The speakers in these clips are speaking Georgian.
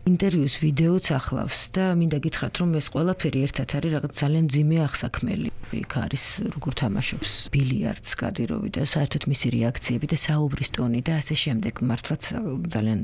ინტერვიუს ვიდეოც ახლავს და მინდა გითხრათ, რომ ეს ყველაფერი ერთად არის რაღაც ძალიან მძიმე აღსაქმელი. იქ არის როგორ თამაშობს ბილიარდს კადიროვი და საერთოდ მისი რეაქციები და საუბრის ტონი და ასე შემდეგ. მართლაც ძალიან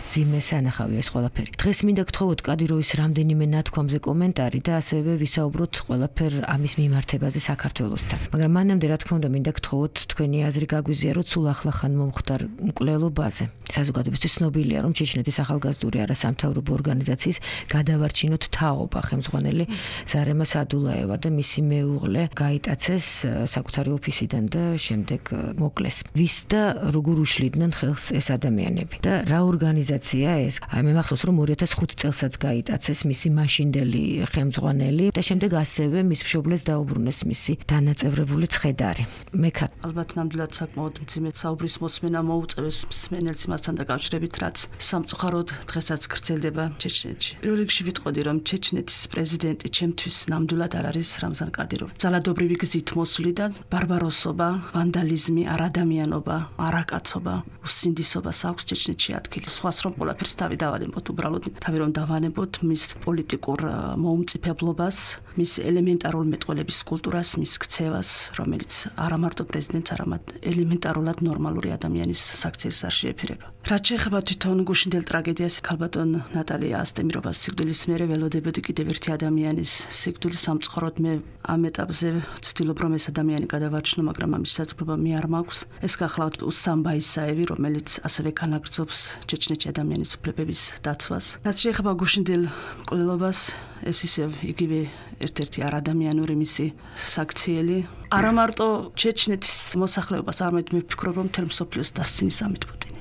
მძიმე სანახავია ეს ყველაფერი. დღეს მინდა გთხოვოთ კადიროვის რამდენიმე ნათქვამზე კომენტარი და ასევე ვისაუბროთ ყველაფერ ამის მიმართებაზე საქართველოსთან. მაგრამ მანამდე რა თქმა უნდა მინდა გთხოვოთ თქვენი აზრი გაგვიზიაროთ სულ ახლახან მომხდარ მკვლელობაზე. საზოგადოებისთვის ცნობილია, რომ ჩეჩნეთის ახალგაზრდული არასამთავრობო ორგანიზაციის გადავარჩინოთ თაობა ხელმძღვანელი ზარემა სადულაევა და მისი მეუღლე გაიტაცეს საკუთარი ოფისიდან და შემდეგ მოკლეს. ვის და როგორ უშლიდნენ ხელს ეს ადამიანები და რა ორგანიზაცია ეს? მე მახსოვს, რომ 2005 წელსაც გაიტაცეს მისი მაშინდელი ხელმძღვანელი და შემდეგ ასევე მის მშობლებს დაუბრუნეს მისი დანაწევრებული ცხედარი. მეკა ალბათ ნამდვილად საკმაოდ მძიმე საუბრის მოსმენა მოუწევს მსმენელს მასთან დაკავშირებით, რაც სამწუხაროდ დღესაც გრძელდება ჩეჩნეთში. პირველ რიგში ვიტყოდი, რომ ჩეჩნეთის პრეზიდენტი ჩემთვის ნამდვილად არ არის რამზან კადიროვი. ძალადობრივი გზით მოსვლიდან ბარბაროსობა, ვანდალიზმი, არადამიანობა, არაკაცობა, უსინდისობას აქვს ჩეჩნეთში ადგილი. სხვას რომ ყველაფერს თავი დავანებოთ, უბრალოდ თავი რომ დავანებოთ მის პოლიტიკურ მოუმწიფებლობას, მის ელემენტარულ მეტყველების კულტურას, მის ქცევას, რომელიც არა მარტო პრეზიდენტს, არამედ ელემენტარულად ნორმალური ადამიანის საქციელს არ შეეფერება. რაც შეეხება თვითონ გუშინდელ ტრაგედიას, ქალბატონ ნატალია ასტემიროვას სიკვდილის მერე ველოდებოდი კიდევ ერთი ადამიანის სიკვდილის. სამწუხაროდ მე ამ ეტაპზე ვცდილობ, რომ ეს ადამიანი გადავარჩინო, მაგრამ ამის შესაძლებლობა მე არ მაქვს. ეს გახლავთ უსამ ბაისაევი, რომელიც ასევე განაგრძობს ჩეჩნეთში ადამიანის უფლებების დაცვას. რაც შეეხება გუშინდელ მკვლელობას, ეს ისევ იგივე ერთ-ერთი არადამიანური მისი საქციელი. არა მარტო ჩეჩნეთის მოსახლეობას, არამედ მე ვფიქრობ, რომ მთელ მსოფლიოს დასცინის ამით პუტინი.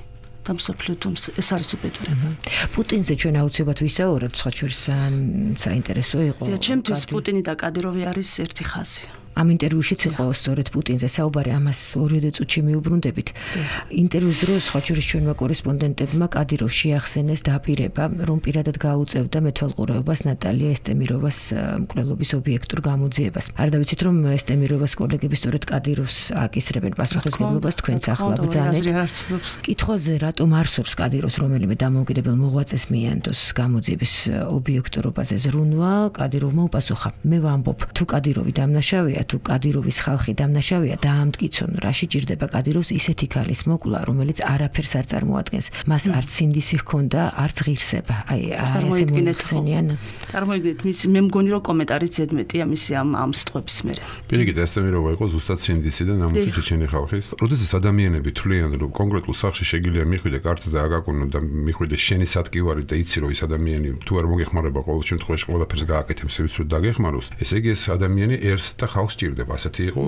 და მსოფლიოს ეს არის უბედურება. პუტინზე ჩვენ აუცილებლად ვისაუბრებთ, სხვა შორის საინტერესო იყო. ჩემთვის პუტინი და კადიროვი არის ერთი ხაზი. ამ ინტერვიუშიც იყო სწორედ პუტინზე საუბარი, ამას ორივე წუთში მიუბრუნდებით. ინტერვიუს დროს სხვა შორის ჩვენმა კორესპონდენტებმა კადიროვს შეახსენეს დაპირება, რომ პირადად გაუწევდა მეთვალყურეობას ნატალია ესტემიროვას მკვლელობის ობიექტურ გამოძიებას. არ დავიცით, რომ ესტემიროვას კოლეგები სწორედ კადიროვს აკისრებენ პასუხისმგებლობას, თქვენც ახლა ბრძანეთ. კითხვაზე, რატომ არ სურს კადიროვს რომელიმე დამოუკიდებელ მოღვაწეს მიანდოს გამოძიების ობიექტურობაზე ზრუნვა, კადიროვმა უპასუხა: მე ვამბობ, თუ კადიროვი დამნაშავეა, თუ კადიროვის ხალხი დამნაშავეა, დაამტკიცონ, რაში ჭირდება კადიროვს ისეთი ქალის მოკლა, რომელიც არაფერს არ წარმოადგენს. მას არც სინდისი ჰქონდა, არც ღირსება. აი, ესე მოიხსენიან. წარმოიდგინეთ, მე მგონი რომ კომენტარიც ზედმეტია მისი ამ სტყვების მერე. პირიქით, ესტემიროვა იყო ზუსტად სინდისი და ნამუსი ჩეჩენი ხალხის. როდესაც ადამიანები თვლიან, რომ კონკრეტულ სახლში შეგიძლია მიხვიდე კარტა და აგაკონო და მიხვიდე შენი სათკივარი და იცი რომ ეს ადამიანი თუ არ მოგეხმარება ყოველ შემთხვევაში ყველაფერს გააკეთებს, ის რომ დაგეხმაროს. ესე იგი ეს ადამიანი ერს და ხალხს ჭირდება. ასეთი იყო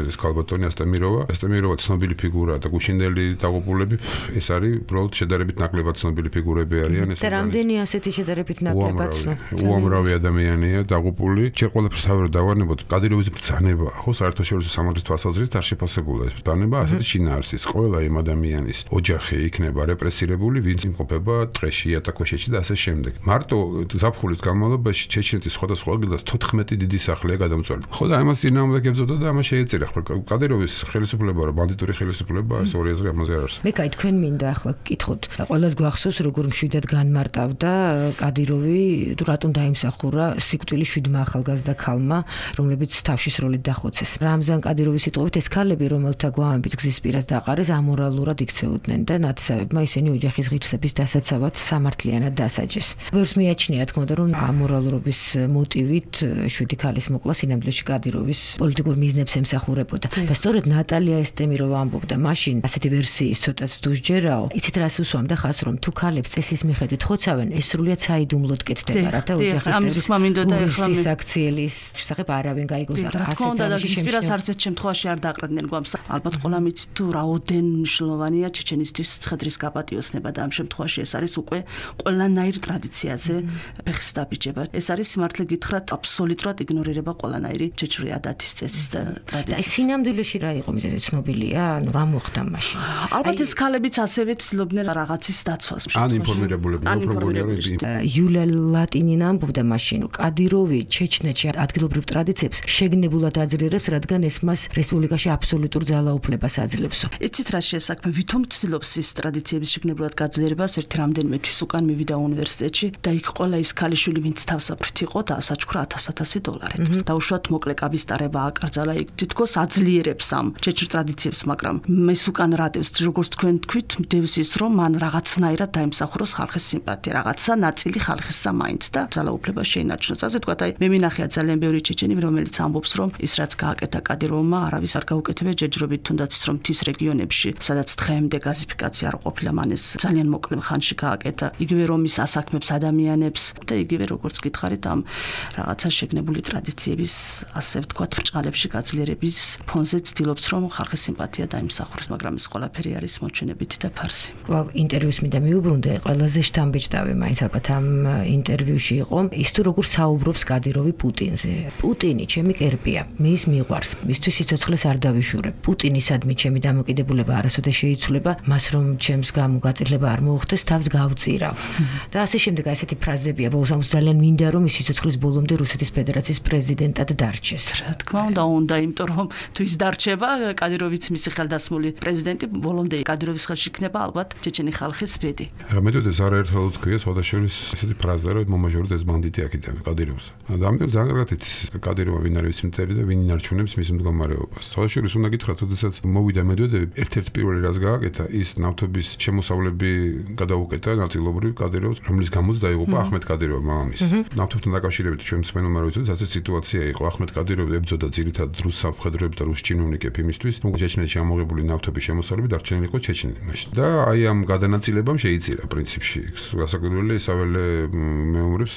ეს ქალბატონი ასტემიროვა. ესტემიროვა ცნობილი ფიგურაა და გუშინდელი დაღუპულები ეს არის უბრალოდ შედარებით ნაკლებად ცნობილი ფიგურები არიან. ეს რამდენი ასეთი შედარებით ნაკლებად ცნობილი. უამრავი ადამიანია დაღუპული. ჯერ ყველაფერს თავი რომ დავანებოთ, კადიროვის ბრძანება, ხო, საერთაშორისო სამართლის თვალსაზრისით არ შეფასებულა ეს ბრძანება, ასეთი შინაარსის. ყველა იმ ადამიანის ოჯახი იქნება რეპრესირებული, ვინც იმყოფება ტყეში, იატაკქვეშეთში და ასე შემდეგ. მარტო ზაფხულის განმავლობაში ჩეჩნეთის სხვადასხვა ადგილას 14 დიდი სახლია გადამწვეული. ხო და ამას წინააღმდეგ ებრძოდა და ამას შეეწირა. კადიროვის ხელისუფლება რა ბანდიტური ხელისუფლება, ეს ორი აზრი ამაზე არ არსებობს. მეკაი, თქვენ მინდა ახლა გკითხოთ. ყველას გვახსოვს, როგორ მშვიდად განმარტავდა კადიროვი, თუ რატომ დაიმსახურა სიკვდილის 7 ახალგაზრდა ქალმა, რომლებიც თავშისროლით დახოცეს. რამზან კადიროვის სიტყვებით, ეს ქალები, რომელთა გვამებით გზის პირას დაყარეს, ამორალურად იქცეოდნენ და ნათესავებმა ისინი ოჯახის ღირსების დასაცავად სამართლიანად დასაჯეს. ბევრს მიაჩნია, თქმა უნდა, რომ ამორალურობის მოტივით 7 ქალის მოკლა სინამდვილეში კადიროვის პოლიტიკურ მიზნებს ემსახურებოდა. და სწორედ ნატალია ესტემიროვა ამბობდა მაშინ ასეთი ვერსიის ცოტაც დუშჯერაო. იცით რას უსვამდა ხას, რომ თუ ქალებს წესის მიხედვით ხოცავენ, ეს სრულიად საიდუმლოდ კეთდება, რათა ოჯახის წევრის აქციელის შესახებ არავინ გაიგოს. რა თქმა უნდა, და გზის პირას არც ერთ შემთხვევაში არ დაყრდნენ გვამს. ალბათ ყველა მიცით თუ რაოდენ მნიშვნელოვანია ჩეჩენისთვის ცხედრის გაპატიოსნება და ამ შემთხვევაში ეს არის უკვე ყველანაირ ტრადიციაზე ფეხის დაბიჯება. ეს არის სიმართლე გითხრათ აბსოლუტურად იგნორირება ყველანაირი ჩეჩვრია და მართლაც წესის და ტრადიციის. აი სინამდვილეში რა იყო მიზეზი ცნობილია? ანუ რა მოხდა მაშინ? ალბათ ეს ქალებიც ასევე ცდილობდნენ რაღაცის დაცვას. ან ინფორმირებულები. იულია ლატინინა ამბობდა მაშინ, რომ კადიროვი ჩეჩნეთში ადგილობრივ ტრადიციებს შეგნებულად აძლიერებს, რადგან ეს მას რესპუბლიკაში აბსოლუტურ ძალაუფლებას აძლევს. იცით რა შეესაქმე, ვითომ ცდილობს ის ტრადიციების შეგნებულად გაძლიერებას, ერთი რამდენიმე თვის უკან მივიდა უნივერსიტეტში და იქ ყველა ის ქალიშვილი, ვინც თავსაფრით იყო, დაასაჩქრა $1000. დაუშვათ მოკლე კაბისტარება აკრძალა, იქ თითქოს აძლიერებს ამ ჩეჩნ ტრადიციებს, მაგრამ მის უკან რატევს, როგორც თქვენ თქვით, მდევს ის, რომ მან რაღაცნაირად დაიმსახუროს ხალხის სიმპათია, რაღაცა ნაწილი ხალხისა მაინც და ძალაუფლება შეინარჩუნოს. ასე ვთქვათ, აი მე მინახია ძალიან ბევრი ჩეჩენი, რომელიც ამბობს, რომ ის რაც გააკეთა კადიროვმა, არავის არ გაუკეთებია ჯერჯერობით, თუნდაც ის რომ მთის რეგიონებში, სადაც დღემდე გაზიფიკაცია არ ყოფილა, მან ეს ძალიან მოკლე ხანში გააკეთა. იგივე რომ ის ასაქმებს ადამიანებს და იგივე როგორც გითხარით ამ რაღაცა შეგნებული ტრადიციების, ასე ვთქვათ, ბრჭყალებში გაძლიერების ფონზე ცდილობს, რომ ხალხის სიმპათია დაიმსახუროს, მაგრამ ეს ყველაფერი არის მოჩვენებითი და ფარსი. კვლავ ინტერვიუს მინდა მიუბრუნდე, ყველაზე შთამბეჭდავი მაინც ალბათ ამ ინტერვიუში იყო ის თუ როგორ საუბრობს კადიროვი პუტინზე. პუტინი ჩემი კერპია, მე ის მიყვარს, მისთვის სიცოცხლეს არ დავიშურებ. პუტინისადმი ჩემი დამოკიდებულება არასოდეს შეიცვლება, მას რომ ჩემს გამო გაწირლება არ მოუხდეს, თავს გავწირავ. და ასე შემდეგ ესეთი ფრაზებია, ბოლოს ძალიან მინდა რომ ის სიცოცხლის ბოლომდე რუსეთის ფედერაციის პრეზიდენტად დარჩეს. რა თქმა უნდა, იმიტომ რომ თუ ის დარჩება, კადიროვიც მისი ხელდასმული პრეზიდენტი, ბოლომდე კადიროვის ხელში იქნება ალბათ ჩეჩენი ხალხის ბედი. მეთოდე ზარაერთალო თქვია, სხვადასხვა ესეთი ფრაზა, რომ მომაჟორდა ეს ბანდიტი აქედან კადიროვს. და ამიტომ ძალიან კარგად იცის კადიროვა ვინ არის მტერი და ვინ ინარჩუნებს მის მდგომარეობას. სხვადასხვა უნდა გითხრათ, როდესაც მოვიდა მედვედევი, ერთ-ერთ პირველი რაც გააკეთა, ის ნავთობის შემოსავლები გადაუკეთა ნაწილობრივ კადიროვს, რომლის გამოც დაიღუპა აჰმედ კადიროვი მამამისი. ნავთობთან დაკავშირებით ჩვენ მსმენელმა რო იცოდეთ, ასე სიტუაცია იყო. აჰმედ კადიროვი ებრძოდა ძირითადად რუს სამხედროებს და რუს ჩინოვნიკებს იმისთვის, რომ ჩეჩნეთში ამოღებული ნავთობის შემოსავლები დარჩენილიყო ჩეჩნეთში. და აი ამ გადანაწილებამ შეიწირა პრინციპში. გასაკვირველია, ისაველე მეომრებს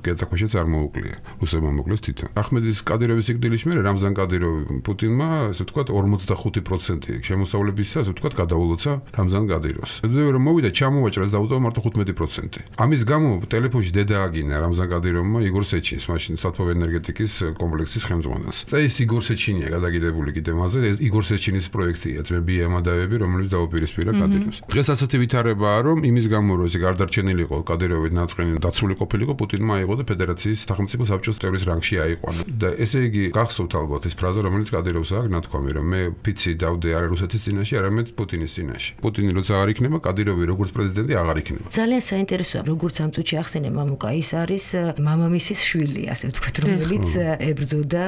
კეთაქვეშეც არ მოუკლია. რუსებმა მოკლეს თვითონ. აჰმედის კადიროვის სიკვდილის მერე რამზან კადიროვი პუტინმა, ასე ვთქვათ, 45% შემოსავლებისა, ასე ვთქვათ, გადაულოცა რამზან კადიროვს. მედვედევი რომ მოვიდა, ჩამოვაჭრას და დაუტოვა მარტო 15%. ამის გამო ტელეფონში დედა აგინა რამზან კადიროვმა იგორ სეჩინს, მაშინ სათბობ ენერგეტიკის კომპლექსის ხელმძღვანელს. და ეს იგორ სეჩინია გადაგიდებული კიდე მასზე, ეს იგორ სეჩინის პროექტია, ძმები ამადაევები, რომელიც დაუპირისპირა კადიროვს. დღეს ასეთი ვითარებაა, რომ იმის გამო რომ ეს გარდარჩენილიყო კადიროვი ნაწყენი დაცული ყოფილიყო, პუტინმა აიღო და ფედერაციის სახელმწიფო საბჭოს წევრის რანგში აიყვანა. და ესე იგი გახსოვთ ალბათ ეს ფრაზა, რომელიც კადიროვს აქვს ნათქვამი, რომ მე ფიცი დავდე არა რუსეთის წინაშე, არამედ პუტინის წინაშე. პუტინი როცა არ იქნება, კადიროვი როგორც პრეზიდენტი აღარ იქნება. ძალიან საინტერესოა, როგორც ამ წუთში ახსენე მამუკა, ის არის მამამისის შვილი, ასე ვთქვათ, რომელიც ებრძოდა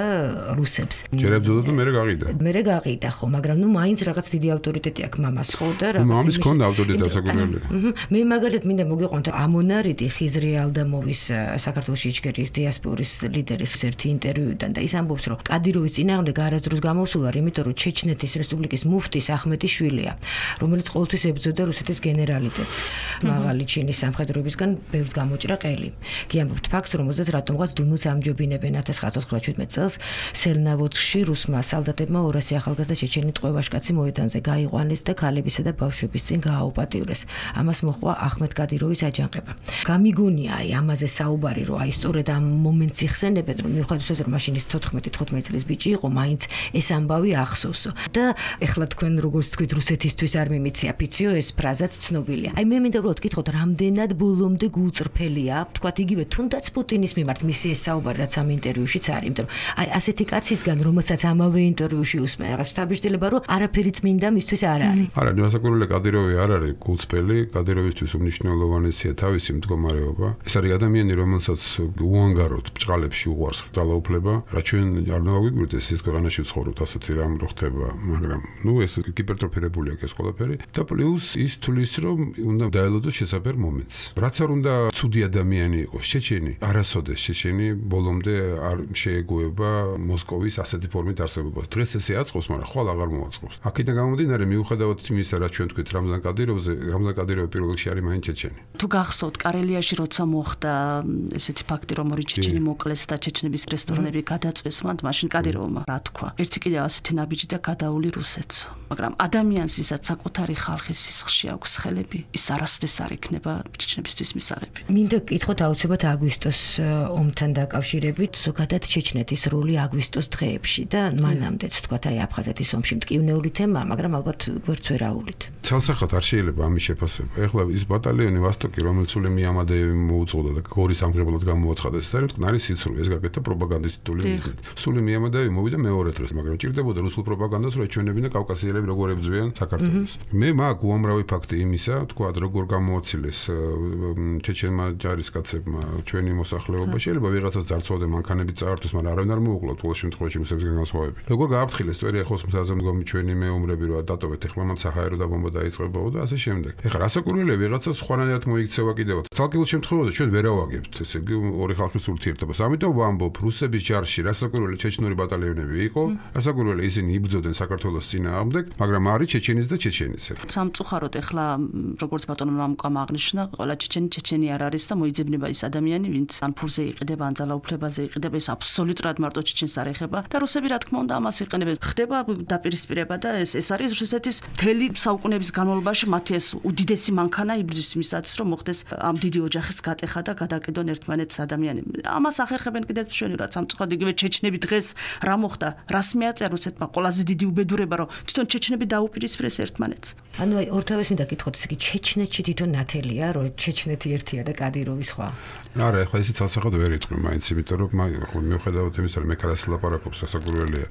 რუსებს. ჯერ ებრძოდა და მერე გაყიდა. მერე გაყიდა, ხო, მაგრამ ნუ მაინც რაღაც დიდი ავტორიტეტი აქვს მამას, ხო და რაღაც. მამის ქონდა ავტორიტეტი საკუთრებული. მე მაგალითად მინდა მოგიყვანოთ ამონარიდი ხიზრი ალდამოვის საქართველოს იჩქერის დიასპორის ლიდერის ერთი ინტერვიუდან და ის ამბობს, რომ კადიროვის წინააღმდეგ არასდროს გამოსულა, იმიტომ რომ ჩეჩნეთის რესპუბლიკის მუფტის აჰმედის შვილია, რომელიც ყოველთვის ებრძოდა რუსეთის გენერალიტეტს. მაღალი ჩინის სამხედროებისგან ბევრს გამოჭრა ყელი. კი ამბობთ ფაქტს, რომ 30 რატომღაც დუმილს ამჯობინებენ 1997 წელს სელნავოცხში რუსმა სალდატებმა 200 ახალგაზრდა ჩეჩენი ტყვევაშკაცი მოედანზე გაიყვანეს და ქალებისა და ბავშვების წინ გააუპატიურეს. ამას მოჰყვა აჰმედ კადიროვის აჯანყება. გამიგონია აი ამაზე საუბარი, რომ აი სწორედ ამ მომენტს იხსენებენ, რომ მიუხედავად რომ მაშინ ის 14-15 წლის ბიჭი იყო, მაინც ეს ამბავი ახსოვსო. და ეხლა თქვენ როგორც თქვით, რუსეთისთვის არ მიმიცია ფიციო, ეს ფრაზაც ცნობილია. აი მე მინდა უბრალოდ გითხოთ, რამდენად ბოლომდე გულწრფელია, თქვათ იგივე თუნდაც პუტინის მიმართ მისი ეს საუბარი, რაც ამ ინტერვიუშიც არის, იმიტომ რომ აი ასეთი კაცისგან, რომელსაც ამავე ინტერვიუში უსმენ, რაღაც შთაბეჭდილება, რომ არაფერი წმინდა მისთვის არ არის. არა, გასაკვირველია, კადიროვი არ არის გულწრფელი, კადიროვისთვის უმნიშვნელოვანესია თავისი მდგომარეობა. ეს არის ადამიანი, რომელსაც უანგაროდ ბჭყალებში უყვარს ძალაუფლება, რაც ჩვენ არ დავაგვიგვირდეთ, ეს ქვეყანაში ვცხოვრობთ, ასეთი რამ რო ხდება, მაგრამ ნუ ეს ჰიპერტროფირებული აქვს ეს ყველაფერი და პლუს ის თulis რომ უნდა დაელოდოს შესაბერ მომენტს. რაც არ უნდა ცუდი ადამიანი იყოს, ჩეჩენი, არასოდეს ჩეჩენი ბოლომდე არ შეეგუება მოსკოვის ასეთი ფორმით არსებობას. დღეს ესე აწყობს, მაგრამ ხვალ აღარ მოაწყობს. აქედან გამომდინარე, მიუხედავად იმისა, რაც ჩვენ თქვით რამზან კადიროვზე, რამზან კადიროვი პირველ რიგში არის მაინც ჩეჩენი. თუ გახსოვთ, კარელიაში როცა მოხდა ესეთი ფაქტი, რომ ორი ჩეჩენი მოკლეს და ჩეჩნების რესტორნები გადაწვეს, მაშინ კადიროვმა რა თქვა? ერთი კიდევ ასეთი ნაბიჯი და გადაული რუსეთს. მაგრამ ადამიანს, ვისაც საკუთარი ხალხის სისხლში აქვს ხელები, ის არასოდეს არ იქნება ჩეჩნებისთვის მისაღები. მინდა გკითხოთ აუცილებლად აგვისტოს ომთან დაკავშირებით, ზოგადად ჩეჩნეთის როლი აგვისტოს დღეებში და მანამდეც თქვა აი აფხაზეთის ომში მტკივნეული თემაა, მაგრამ ალბათ გვერდს ვერ აუვლით. ცალსახად არ შეიძლება ამის შეფასება. ეხლა ის ბატალიონი ვასტოკი, რომელიც სული მიამადეევი მოუწყდა და გორის ამღრებლად გამოაცხადეს, ეს არის მტკნარი სიცრუე, ეს გაკეთა პროპაგანდისტული მიზნით. სული მიამადეევი მოვიდა მეორე დღეს, მაგრამ ჭირდებოდა რუსულ პროპაგანდას, რომ ეჩვენებინა კავკასიელები როგორ ებრძვიან საქართველოს. მე მაგ უამრავი ფაქტი იმისა, თქვა როგორ გამოაცილეს ჩეჩენმა ჯარისკაცებმა ჩვენი მოსახლეობა, შეიძლება ვიღაცას ძარცვავდნენ მანქანებით წაართვეს, მაგრამ არავინ არ მოუკლავთ ყოველ შემთხვევაში რუსებისგან განსხვავებით. როგორ გააფრთხილეს წვერი ახოს მთაზე მდგომი ჩვენი მეომრები, რომ დატოვეთ ეხლა მან საჰაერო დაბომბა დაიწყებაო და ასე შემდეგ. ეხლა რასაკურველია ვიღაცას სხვანაირად მოიქცევა კიდევ. ცალკეულ შემთხვევაში ჩვენ ვერ ავაგებთ, ესე იგი ორი ხალხის ურთიერთობას. ამიტომ ვამბობ, რუსების ჯარში რასაკურველი ჩეჩნური ბატალიონები იყო, რასაკურველი ისინი იბრძოდნენ საქართველოს წინააღმდეგ, მაგრამ არის ჩეჩენის და ჩეჩენისა. სამწუხაროდ ეხლა როგორც ბატონო მამუკამ აღნიშნა, ყველა ჩეჩენი არ არის და მოიძებნება ის ადამიანი, ვინც ან ფულზე იყიდება, ან ძალაუფლებაზე იყიდება, ეს აბსოლუტურად მარტო ჩეჩენს არ ეხება და რუსები რა თქმა უნდა ამას იყენებენ. ხდება დაპირისპირება და ეს არის რუსეთის მთელი საუკუნეების განმავლობაში მათი ეს უდიდესი მანქანა იბრძვის იმისათვის, რომ მოხდეს ამ დიდი ოჯახის გატეხა და გადაკიდონ ერთმანეთს ადამიანები. ამას ახერხებენ კიდევ მშვენივრად სამწუხაროდ იგივე ჩეჩნები დღეს რა მოხდა, რას მეაწერ რუსეთმა ყველაზე დიდი უბედურება, რომ თვითონ ჩეჩნები დაუპირისპირეს ერთმანეთს. ანუ აი ორთავეს მინდა გითხოთ, ესე იგი ჩეჩნეთში თვითონ ნათელია, რომ ჩეჩნეთი ერთია და კადიროვი სხვა. არა, ეხლა ისიც ცალსახად ვერ იტყვი მაინც, იმიტომ რომ მიუხედავად იმისა, რომ მე კარას ლაპარაკობს, რასაკურველია,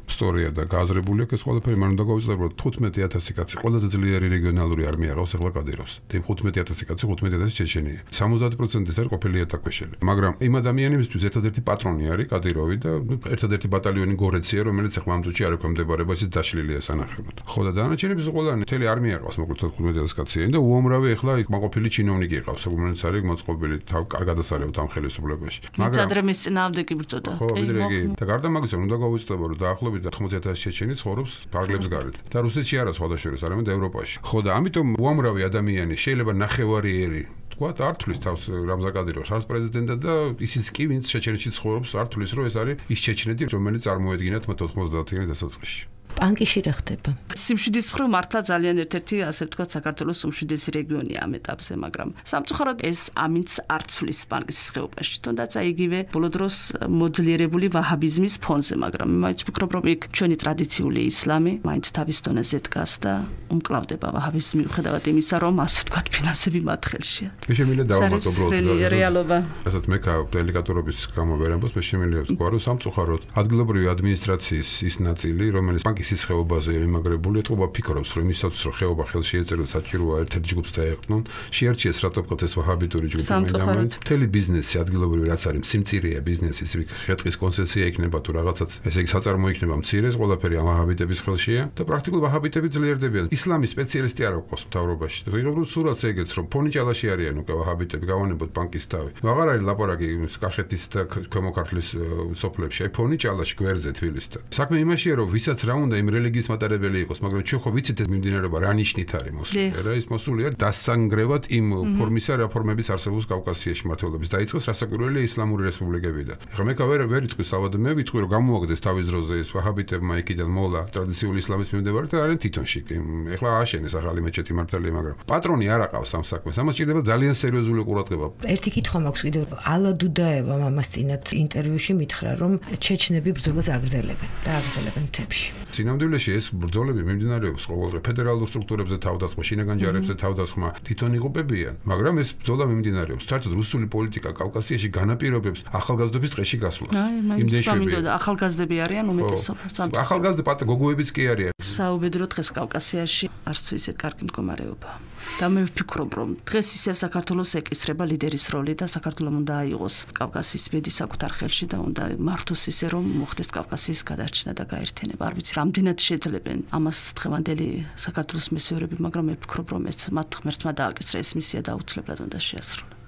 სწორია და გააზრებული აქვს ეს ყველაფერი, მან უნდა გავიწყდე 15000 კაცი, ყველაზე ძლიერი რეგიონალური არმია ყავს ეხლა კადიროვს. და 15000 კაცი 15000 ჩეჩენია. 70% ეს არის ყოფილი ატაკვეშელი. მაგრამ იმ ადამიანებისთვის ერთადერთი პატრონი არის კადიროვი და ერთადერთი ბატალიონი გორეცია, რომელიც ეხლა ამ წუთში არ ექვემდებარება, ისიც დაშლილია სანახებად. ხო და დანარჩენების ყველანი მთელი არმია ყავს, მოკლედ 15000 კაცია და უამრავი ეხლა მაყოფილი ჩინოვნიკი ყავს, რომელიც არის მოწყობილი თავ კარგად ასარევთ ამ ხელისუფლებაში. მაგრამ ადრემის წინააღმდეგ იბრძოდა. ხო, ვიდრე და გარდა მაგისა უნდა გავუწყდება, რომ დაახლოებით 80000 ჩეჩენი ცხოვრობს ფარგლებს გარეთ და რუსეთში არა სხვადასხვა, არამედ ევროპაში. ხო და ამიტომ უამრავი ადამიანი შეიძლება ნახევარიერი თქვათ ართulis თავს რამზან კადიროვს არც პრეზიდენტად და ისიც კი ვინც ჩეჩენეთში ცხოვრობს ართulis რომ ეს არის ის ჩეჩნეთი რომელიც წარმოედგინათ მათ 90-იანი დასაწყისში. პანკიში რა ხდება? სიმშვიდის მხრივ მართლა ძალიან ერთ-ერთი ასე ვთქვათ საქართველოს უმშვიდესი რეგიონია ამ ეტაპზე, მაგრამ სამწუხაროდ ეს ამინც არ ცვლის პანკისის ხეობაში. თუნდაც აი იგივე ბოლო დროს მოძლიერებული ვაჰაბიზმის ფონზე, მაგრამ მაინც ვფიქრობ, რომ იქ ჩვენი ტრადიციული ისლამი მაინც თავის დონეზე დგას და უმკლავდება ვაჰაბიზმი მიუხედავად იმისა, რომ ასე ვთქვათ ფინანსები მათ ხელშია. მე შემიძლია დავამატო უბრალოდ რეალობა. ასეთ მე დელიკატურობის გამო ვერ ამბობს, მე შემიძლია ვთქვა, რომ სამწუხაროდ ადგილობრივი ადმინისტრაციის ის ნაწილი, რომელიც ის ხეობაზე იმაგრებული ეთყობა ფიქრობს რომ იმისათვის რომ ხეობა ხელში ეწეროს საჭიროა ერთ-ერთ ჯგუფს დაეყრდნონ შეარჩიეს რატომ ეს ვაჰაბიტური ჯგუფი მაინც მთელი ბიზნესი ადგილობრივი რაც არის სიმწირეა ბიზნესი ის ხეთყის კონცესია იქნება თუ რაღაცაც ესე იგი საწარმო იქნება მცირეს ყველაფერი ამ ვაჰაბიტების ხელშია და პრაქტიკულად ვაჰაბიტები ძლიერდებიან ისლამის სპეციალისტი არ აქვს მთავრობაში ღირებულ სურათს ეგეც რომ ფონიჭალაში არიან უკვე ვაჰაბიტები გავანებოთ ბანკის თავი აღარ არის ლაპარაკი კახეთის და ქვემო ქართლის სოფლებში აი ფონიჭალაში გვერდზე თბილისთან საქმე იმაშია რომ ვისაც რა უნდა იმ რელიგიის მატარებელი იყოს, მაგრამ ჩვენ ხო ვიცით ეს მიმდინარეობა რა ნიშნით არის მოსული. რა ის მოსულია დასანგრევად იმ ფორმისა რეფორმების არსებობს კავკასიაში მართლობის. დაიწყეს რასაკვირველია ისლამური რესპუბლიკებიდან. ეხლა მე ვერ იტყვი საბადო მე ვიტყვი რომ გამოაგდეს თავის დროზე ეს ვაჰაბიტებმა იქიდან მოლა ტრადიციული ისლამის მიმდევარი და არიან თვითონში. ეხლა ააშენეს ახალი მეჩეთი მართალია, მაგრამ პატრონი არ აყავს ამ საქმეს. ამას ჭირდება ძალიან სერიოზული ყურადღება. ერთი კითხვა მაქვს კიდევ ალა დუდაევამ ამას წინათ ინტერვიუში მითხრა რომ ჩეჩნები ბრძოლას აგრძელებენ და აგრძელებენ მთებში. სინამდვილეში ეს ბრძოლები მიმდინარეობს ყოველდღე ფედერალურ სტრუქტურებზე თავდასხმა, შინაგან ჯარებზე თავდასხმა, თვითონ იღუპებიან, მაგრამ ეს ბრძოლა მიმდინარეობს. საერთოდ რუსული პოლიტიკა კავკასიაში განაპირობებს ახალგაზრდობის ტყეში გასვლას. იმდენშვია ახალგაზრდები არიან უმეტესობა. ახალგაზრდა გოგოებიც კი არიან. საუბედურო დღეს კავკასიაში არც ისეთ კარგი მდგომარეობა. და მე ვფიქრობ, რომ დღეს ისევ საქართველოს ეკისრება ლიდერის როლი და საქართველოს უნდა აიღოს კავკასიის ბედი საკუთარ ხელში და უნდა მართოს ისე, რომ მოხდეს კავკასიის გადარჩენა და გაერთიანება. არ ვიცი, რამდენად შეძლებენ ამას დღევანდელი საქართველოს მესეურები, მაგრამ მე ვფიქრობ, რომ ეს მათ ღმერთმა დააკისრა ეს მისია და აუცილებლად უნდა შეასრულოს.